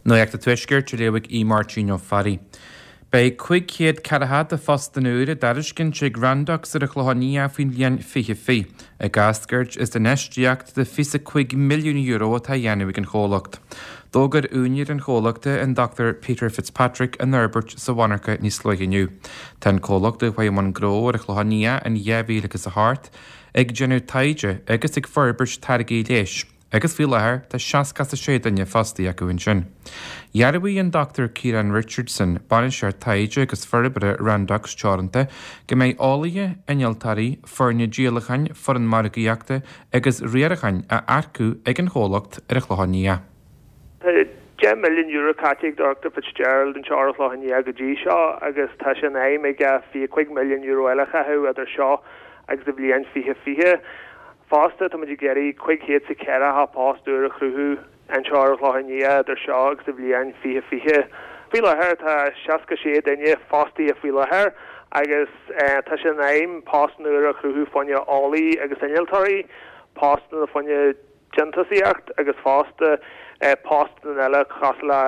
Nuacht an Tuaiscirt á léamh ag Aodh Máirtín Ó Fearraigh. Beidh 540 de phostanna úr á dtairiscint ag Randox ar an Chlochán Liath faoin bhliain 2020, ag eascairt as infheistíocht de €25 milliún atá á dhéanamh ag an chomhlacht. D'fhógair úinéir an chomhlachta, an Dr Peter Fitzpatrick, an fhorbairt sa mhonarcha níos luaithe inniu. Tá an comhlacht, a chuaigh i mbun gnó ar an Chlochán Liath in 2008, ag déanamh taighde agus ag forbairt táirgí leighis. agus faoi láthair tá 66 duine fostaithe acu ansin. Dhearbhaigh an Dr Ciarán Richardson, Bainisteoir Taighde agus Forbartha Randox Teoranta, go mbeidh eolaithe, innealtóirí, foirne díolacháin, foireann margaíochta agus riaracháin á earcú ag an chomhlacht ar an Chlochán Liath. Tá €10 milliún caite ag Dr Fitzgerald anseo ar an Chlochán Liath go dtí seo agus tá sé in aidhm aige €25 milliún eile a chaitheamh idir seo agus an bhliain 2020. Fosta, tá muid ag iarraidh 540 post úr a chruthú anseo ar an Chlochán Liath idir seo agus an bhliain 2020. Faoi láthair tá 66 duine fostaithe faoi láthair agus tá sé in aidhm postanna úr a chruthú fá choinne eolaí agus innealtóirí, postanna fá choinne déantúsaíocht agus fosta postanna eile cosúil le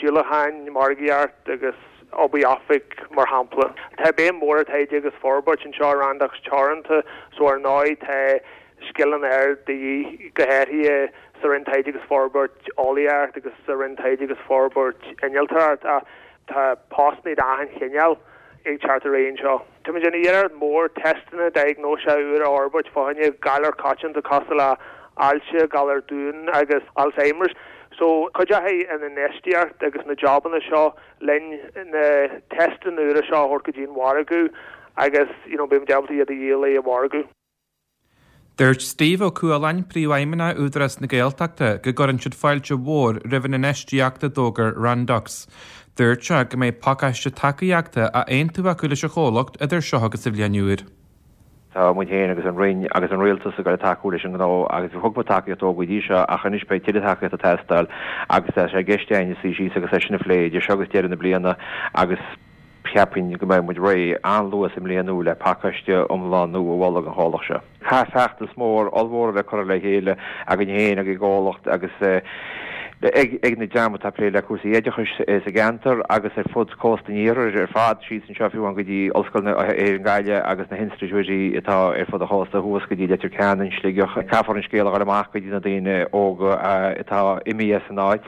díolacháin, margaíocht agus obair oifig mar shampla. Tá béim mhór ar taighde agus forbairt anseo i Randox Teoranta so ar ndóigh tá scileanna ard de dhíth go háirithe sa Roinn Taighde agus Forbairt Eolaíocht agus sa Roinn Taighde agus Forbairt Innealtóireacht ach tá postanna d'achan chineál ag teacht ar aghaidh anseo. Tá muid i ndiaidh iarracht mhór teisteanna diagnóise úr a fhorbairt fá choinne galar coitianta cosúil le ailse, galar Down agus Alzheimer's. So cuideoidh an infheistíocht agus na jabanna seo linn na teisteanna úra seo a thabhairt go dtí an mhargadh agus you know beidh muid ábalta iad a dhíol ar an mhargadh. Dúirt Steve Ó Cualáin, Príomhfheidhmeannach Údarás na Gaeltachta, go gcuireann siad fáilte mhór roimh an infheistíocht a d'fhógair Randox. Dúirt sé go mbeidh pacáiste tacaíochta á aontú acu leis an chomhlacht idir seo agus an bhliain úr. Tá muid féin agus an Roinn agus an Rialtas ag dul ag tacú leis an ngnó agus thug muid tacaíocht dó go dtí seo ach anois beidh tuilleadh tacaíochta ag teastáil agus tá sé i gceist againn suí síos agus é sin a phlé idir seo agus deireadh na bliana agus Cheapfainn go mbeidh muid réidh an-luath sa mbliain nua le pacáiste iomlán nua a mholadh don chomhlacht seo. Caithfidh feachtas mór, ollmhór a bheith curtha le chéile againn féin ag an gcomhlacht agus ag na dream atá ag plé le cúrsaí oideachais sa gceantar agus ar fud cósta an iarthair ar fad, síos anseo fiú amháin go dtí Ollscoil na hÉireann Gaillimh agus na hinstitiúidí atá ar fud an chósta thuas go dtí Leitir Ceanainn, Sligeach. Caithfear an scéal a dhul amach go dtí na daoine óga atá imithe as an áit.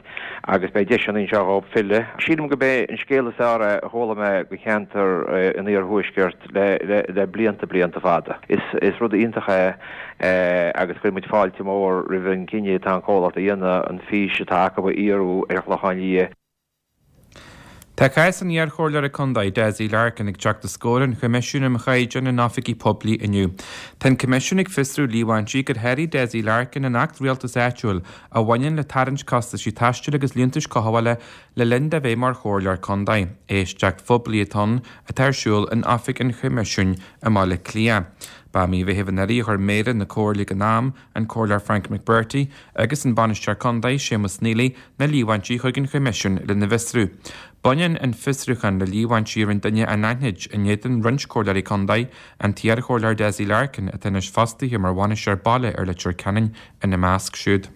agus beidh deiseanna anseo dhóibh filleadh. Sílim gurb é an scéal is fearr é a chuala mé do cheantar an iarthuaiscirt le blianta, blianta fada. Is rud iontach é agus cuireann muid fáilte mhór roimh an gcinneadh atá an comhlacht a dhéanamh an fís atá acu a fhíorú ar an Chlochán Liath. Tá cás an iarchomhairleora contae, Dessie Larkin, ag teacht os comhair an Choimisiúin um Chaighdeáin in Oifigí Poiblí inniu. Tá an Coimisiún ag fiosrú líomhaintí gur sháraigh Dessie Larkin an Acht Rialtais Áitiúil a bhaineann le tarraingt costaisí taistil agus liúntais cothabhála le linn dó bheith mar chomhairleoir contae. Éisteacht phoiblí atá ann atá ar siúl in oifig an Choimisiúin i mBaile Átha Cliath. Ba i mí Mheithimh anuraidh a chuir Méara na Comhairle ag an am, an Comhairleoir Frank McBrearty, agus an Bainisteoir Contae, Séamus Neely, na líomhaintí chuig an Choimisiún lena bhfiosrú. Baineann an fiosrúchán le líomhaintí a rinne duine anaithnid in éadan roinnt Comhairleoirí Contae, an t-iarchomhairleoir Dessie Larkin, atá anois fostaithe mar bhainisteoir baile ar Leitir Ceanainn, ina measc siúd.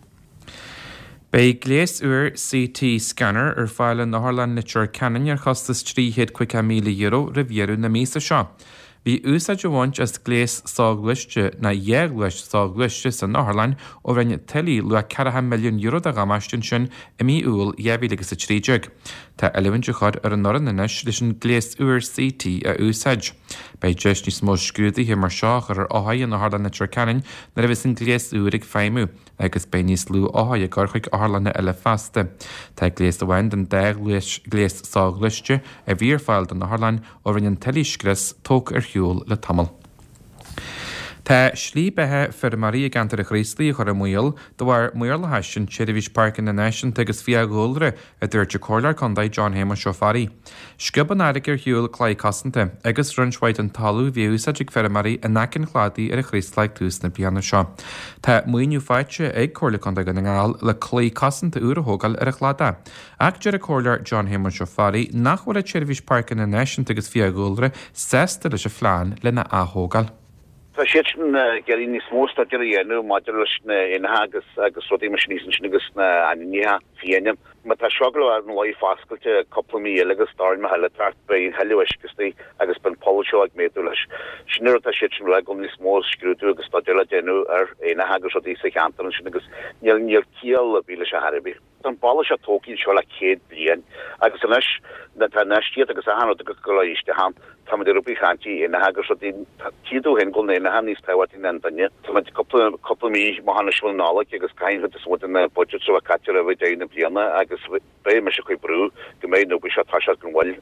Beidh gléas úr CT Scanner ar fáil in Otharlann Leitir Ceanainn ar chostas €350,000 roimh dheireadh na míosa seo. Bhí úsáid á bhaint as gléas soghluaiste, nó dhá ghléas soghluaiste san otharlann ó rinne tuile luach €40 milliún de dhamáiste ansin i mí Iúil 2013. Tá oiliúint á chur ar an fhoireann anois leis an gléas úr CT a úsáid. Beidh deis níos mó scrúduithe mar seo a chur ar othair in Otharlann Leitir Ceanainn nuair a bheas an gléas úr ag feidhmiú agus beidh níos lú othair ag dul chuig otharlanna eile feasta. Tá gléas amháin den dá ghléas soghluaiste a bhí ar fáil don otharlann ó rinne an tuile scrios tógtha ar shiúl le tamall. Tá slí beatha feirmeoirí i gceantar an Chraoslaigh á chur i mbaol de bharr maorlathais an tSeirbhís Páirceanna Náisiúnta agus Fiadhúlra, a dúirt an Comhairleoir Contae John Shéamuis Ó Fearraigh. Sciob an fharraige ar shiúl claí cosanta agus roinnt mhaith den talamh a bhí á úsáid ag feirmeoirí in aice an chladaigh ar an Chraoslach ag tús na bliana seo. Tá maoiniú faighte ag Comhairle Contae Dhún na nGall le claí cosanta úr a thógáil ar an chladach. Ach deir an Comhairleoir John Shéamuis Ó Fearraigh nach bhfuil an tSeirbhís Páirceanna Náisiúnta agus Fiadhúlra sásta leis an phlean lena ath-thógáil. Tá siad sin ag iarraidh níos mó staidéir a dhéanamh maidir leis na éanacha agus agus rudaí mar sin thíos ansin agus na ainmhithe fiáine. Má tá seo ag dul a bheith ina luí foscailte cúpla mí eile agus stoirmeacha eile ag teacht beidh a thuilleadh uisce istigh agus beidh an poll seo ag méadú leis. Sin an rud atá siad sin ag dul níos mó scrúdú agus staidéar le déanamh ar aonacha agus rudaí sa cheantar ansin agus níl níl ciall ar bith leis ar chor ar bith. Tá an baile seo tógtha anseo le 100 bliain agus anois nuair atá infheistíocht agus achan rud ag dul isteach ann, táimid ag rud ag caint aonacha agus rudaí, tchí tú féin go bhfuil na haonacha níos tábhachtaí ná an duine. Táimid cúpla, cúpla mí amach anois roimh an Nollaig agus caithfidh an chuid is mó de na budgets a bheith caite roimh deireadh na bliana agus beidh mise ag cur brú go mbeidh an obair seo ag toiseacht gan mhoill.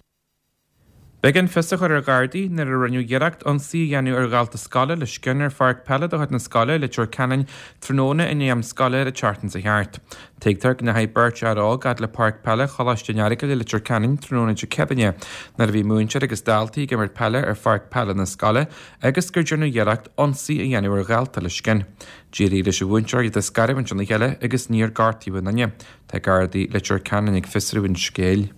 B'éigean fios a chur ar Ghardaí nuair a rinneadh iarracht ionsaí a dhéanamh ar dhalta scoile le scian ar pháirc peile de chuid na scoile i Leitir Ceanainn tráthnóna i ndiaidh am scoile ar an tseachtain seo thart. Tuigtear go ndeachaigh beirt fhear óg fhad le páirc peile Choláiste an Earagail i Leitir Ceanainn tráthnóna Dé Céadaoine nuair a bhí múinteoir agus daltaí ag imirt peile ar pháirc peile na scoile agus gur deineadh iarracht ionsaí a dhéanamh ar dhalta le scian. D'éirigh leis an mhúinteoir iad a scaramhaint óna chéile agus níor gortaíodh aon duine. Tá Gardaí Leitir Ceanainn ag fiosrú an scéil.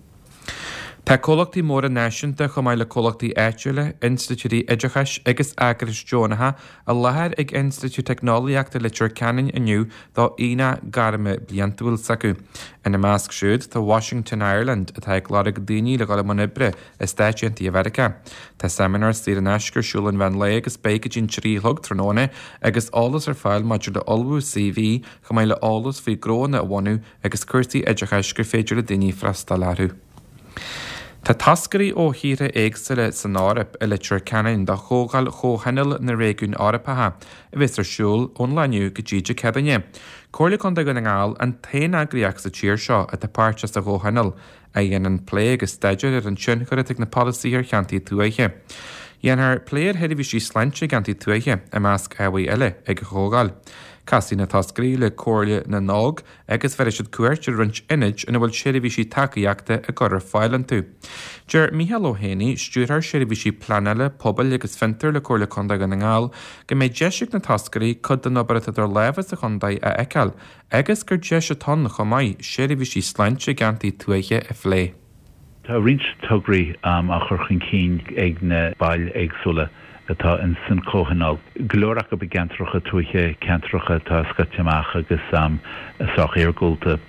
Tá comhlachtaí móra náisiúnta chomh maith le comhlachtaí áitiúla, institiúidí oideachais agus eagrais deonacha i láthair ag Institiúid Teicneolaíochta Leitir Ceanainn inniu do aonach gairme bliantúil s'acu. Ina measc siúd tá Washington Ireland atá ag lorg daoine le dhul i mbun oibre i Stáit Aontaithe Mheiriceá. Tá seimineár saor in aisce ar siúl ón mheán lae agus beidh go dtí'n 3 a chlog tráthnóna agus eolas ar fáil maidir le ullmhú CV chomh maith le eolas faoi gnóanna a bhunú agus cúrsaí oideachais gur féidir le daoine freastal orthu. Tá toscairí ó thíortha éagsúla san Eoraip i Leitir Ceanainn do Chomhdháil Chomhthionól na Réigiún Eorpacha a bheas ar siúl ón lá inniu go dtí Dé Céadaoine. Comhairle Contae Dhún na nGall an t-aon eagraíocht sa tír seo atá páirteach sa Chomhthionól, a dhéanann plé agus staidéar ar an tionchar atá ag na polasaithe ar cheantair tuaithe. Dhéanfar plé ar sheirbhísí sláinte i gceantair tuaithe, i measc ábhair eile, ag an chomhdháil. Casfaidh na toscairí le Comhairle na nÓg agus bhéarfaidh siad cuairt ar roinnt ionaid ina bhfuil seirbhísí tacaíochta á gcur ar fáil iontu. Deir Mícheál Ó hÉanaí, Stiúrthóir Seirbhísí Pleanála, Pobail agus Fiontair le Comhairle Contae Dhún na nGall, go mbeidh deis ag na toscairí cuid den obair atá idir lámha sa chontae a fheiceáil agus gur deis atá ann chomh maith seirbhísí sláinte i gceantair tuaithe a phlé. Tá roinnt tograí á chur chun cinn ag na baill éagsúla atá ins an Chomhthionól, go leor acu i gceantracha tuaithe, ceantracha atá scoite amach agus sách iargúlta,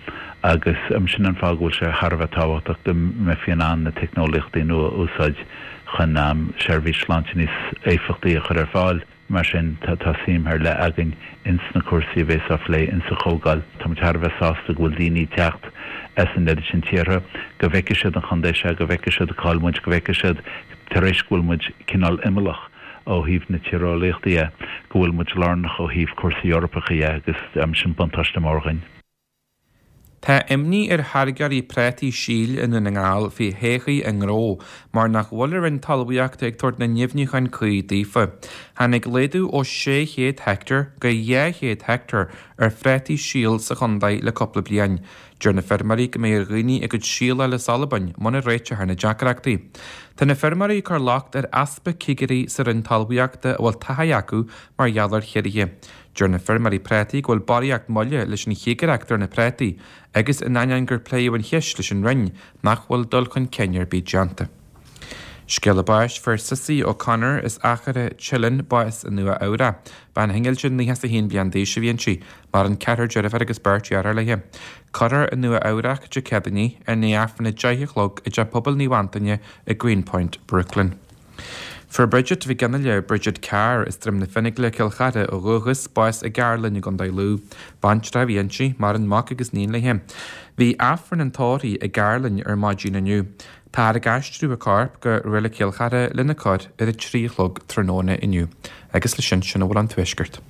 agus sin an fáth go bhfuil sé thar a bheith tábhachtach go mbeifí in ann na teicneolaíochtaí nua a úsáid chun seirbhís sláinte níos éifeachtaí a chur ar fáil. Mar sin, tá suim ar leith againn ins na cúrsaí a bhéas á phlé ins an chomhdháil. Tá muid thar a bheith sásta go bhfuil daoine ag teacht as an oiread sin tíortha, go bhfeicfidh siad an chontae seo, go bhfeicfidh siad cá'il muid, go bhfeicfidh siad, tar éis go bhfuil muid cineál imeallach ó thaobh na tíreolaíochta dhe, go bhfuil muid lárnach ó thaobh cúrsaí Eorpacha dhe agus sin buntáiste mór dhuinn. Tá imní ar tháirgeoirí prátaí síl i nDún na nGall faoi thodhchaí a ngnó mar nach bhfuil an Roinn Talmhaíochta ag tabhairt na ndeimhniúcháin cuí daofa. Tháinig laghdú ó 600 heicteár go 200 heicteár ar phrátaí síl sa chontae le cúpla bliain. Deir na feirmeoirí go mbeidh ar dhaoine a gcuid síl a fháil as Albain muna réiteofar na deacrachtaí. Tá na feirmeoirí ag cur locht ar easpa cigirí sa Roinn Talmhaíochta a bhfuil taithí acu mar gheall ar chiorruithe. Deir na feirmeoirí prátaí go bhfuil barraíocht moille leis an chigireacht ar na prátaí agus in ainneoin gur pléadh an cheist leis an Roinn nach bhfuil dul chun cinn ar bith déanta. Scéala báis, Fuair Cissie O'Connor as Achadh Teileann bás i Nua Eabhrac. Bean shingil 91 bliain d'aois a bhí inti. Maireann ceathrar deirféar agus beirt dheartháir léi. Cuirfear i Nua Eabhrac Dé Céadaoin í, i ndiaidh Aifreann 10 a chlog i dTeach Pobail Naomh Antaine i Greenpoint, Brooklyn. Fuair Bridget Mhic Fhionnaile, Bridget Carr, as Droim na Fionnagle, Cill Chartha ó dhúchas, bás i gCairlinn i gContae Lú. Baintreach a bhí inti, maireann mac agus iníon léi. Bhí Aifreann an tórraimh i gCairlinn ar maidin inniu. Táthar ag aistriú a corp go Reilig Chill Chartha lena cur ar a 3 a chlog tráthnóna inniu. Agus leis sin, sin a bhfuil ón Tuaisceart.